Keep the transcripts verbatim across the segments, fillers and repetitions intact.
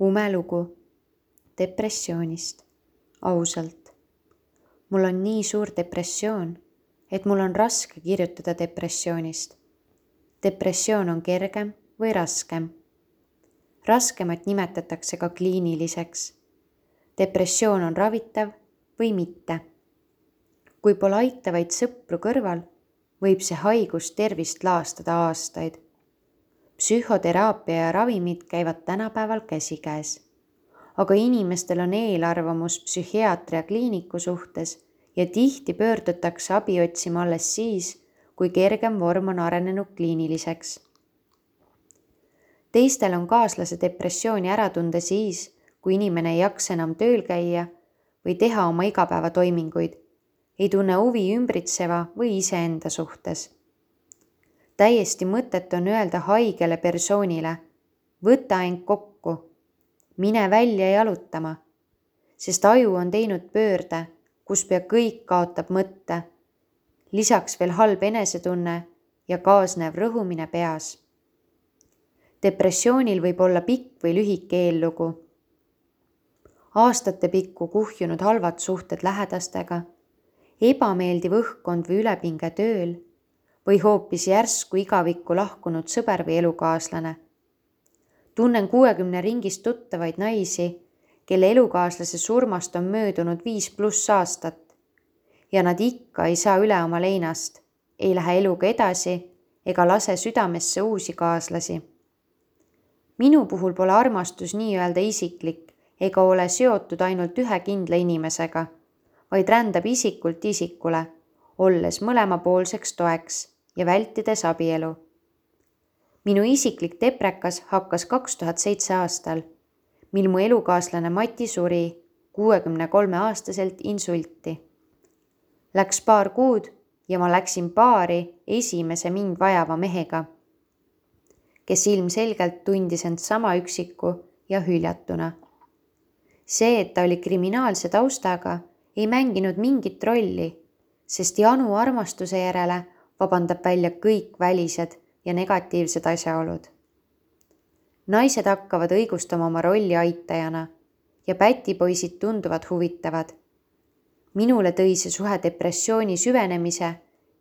Umelugu depressioonist. Ausalt. Mul on nii suur depressioon, et mul on raske kirjutada depressioonist. Depressioon on kergem või raskem. Raskemat nimetatakse ka kliiniliseks. Depressioon on ravitav või mitte. Kui pole aitavaid sõpru kõrval, võib see haigus tervist laastada aastaid. Psühhoteraapia ja ravimid käivad tänapäeval käsikäes. Aga inimestel on eelarvamus psühhiaatria kliiniku suhtes ja tihti pöördutakse abi otsima alles siis, kui kergem vorm on arenenud kliiniliseks. Teistel on kaaslase depressiooni ära tunda siis, kui inimene ei jaksa enam tööl käia või teha oma igapäevatoiminguid, ei tunne huvi ümbritseva või iseenda suhtes. Täiesti mõtet on öelda haigele persoonile, võta end kokku, mine välja jalutama, sest aju on teinud pöörde, kus pea kõik kaotab mõtte, lisaks veel halb enesetunne ja kaasnev rõhumine peas. Depressioonil võib olla pikk või lühike eellugu. Aastate pikku kuhjunud halvad suhted lähedastega, ebameeldiv õhkkond või ülepinge tööl või hoopis järsku igavikku lahkunud sõber või elukaaslane. Tunnen kuuekümne ringist tuttavaid naisi, kelle elukaaslase surmast on möödunud viis pluss aastat ja nad ikka ei saa üle oma leinast, ei lähe eluga edasi ega lase südamesse uusi kaaslasi. Minu puhul pole armastus nii-öelda isiklik ega ole seotud ainult ühe kindla inimesega, vaid rändab isikult isikule, olles mõlemapoolseks toeks ja vältides abielu. Minu isiklik deprekas hakkas kaks tuhat seitse aastal, mil mu elukaaslane Mati suri kuuekümne kolme aastaselt insulti. Läks paar kuud ja ma läksin paari esimese mind vajava mehega, kes ilmselgelt tundis end sama üksiku ja hüljatuna. See, et ta oli kriminaalse taustaga, ei mänginud mingit rolli, sest janu armastuse järele vabandab välja kõik välised ja negatiivsed asjaolud. Naised hakkavad õigustama oma rolli aitajana ja pätipoisid tunduvad huvitavad. Minule tõi see suhe depressiooni süvenemise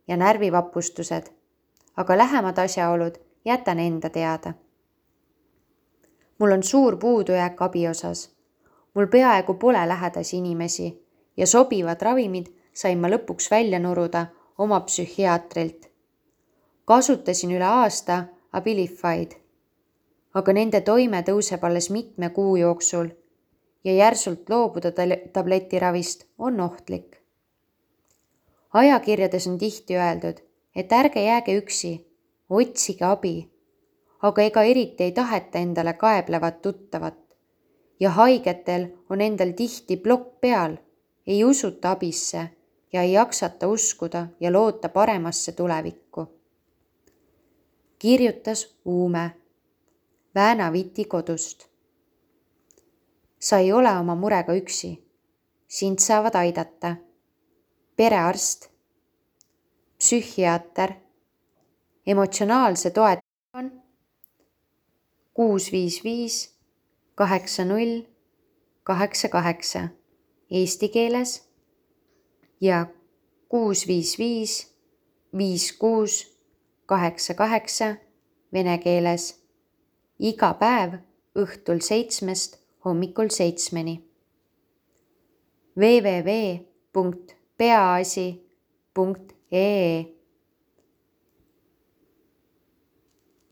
ja närvivapustused, aga lähemad asjaolud jätan enda teada. Mul on suur puudujääk abi osas. Mul peaaegu pole lähedasi inimesi ja sobivad ravimid sain ma lõpuks välja nuruda oma psühhiaatrilt. Kasutasin üle aasta Abilified, aga nende toime tõuseb alles mitme kuu jooksul ja järsult loobuda tabletiravist on ohtlik. Ajakirjades on tihti öeldud, et ärge jääge üksi, otsige abi, aga ega eriti ei taheta endale kaeblevat tuttavat ja haigetel on endal tihti plokk peal, ei usuta abisse ja ei jaksata uskuda ja loota paremasse tulevikku. Kirjutas Uume Väänaviti kodust. Sa ei ole oma murega üksi. Sind saavad aidata perearst, psühhiaater, emotsionaalse toetus kuus viis viis kaheksa null kaheksa kaheksa eesti keeles ja kuus viis viis viis kuus kaheksa kaheksa vene keeles. Iga päev õhtul seitsmest hommikul seitsmeni. w w w punkt peaasi punkt ee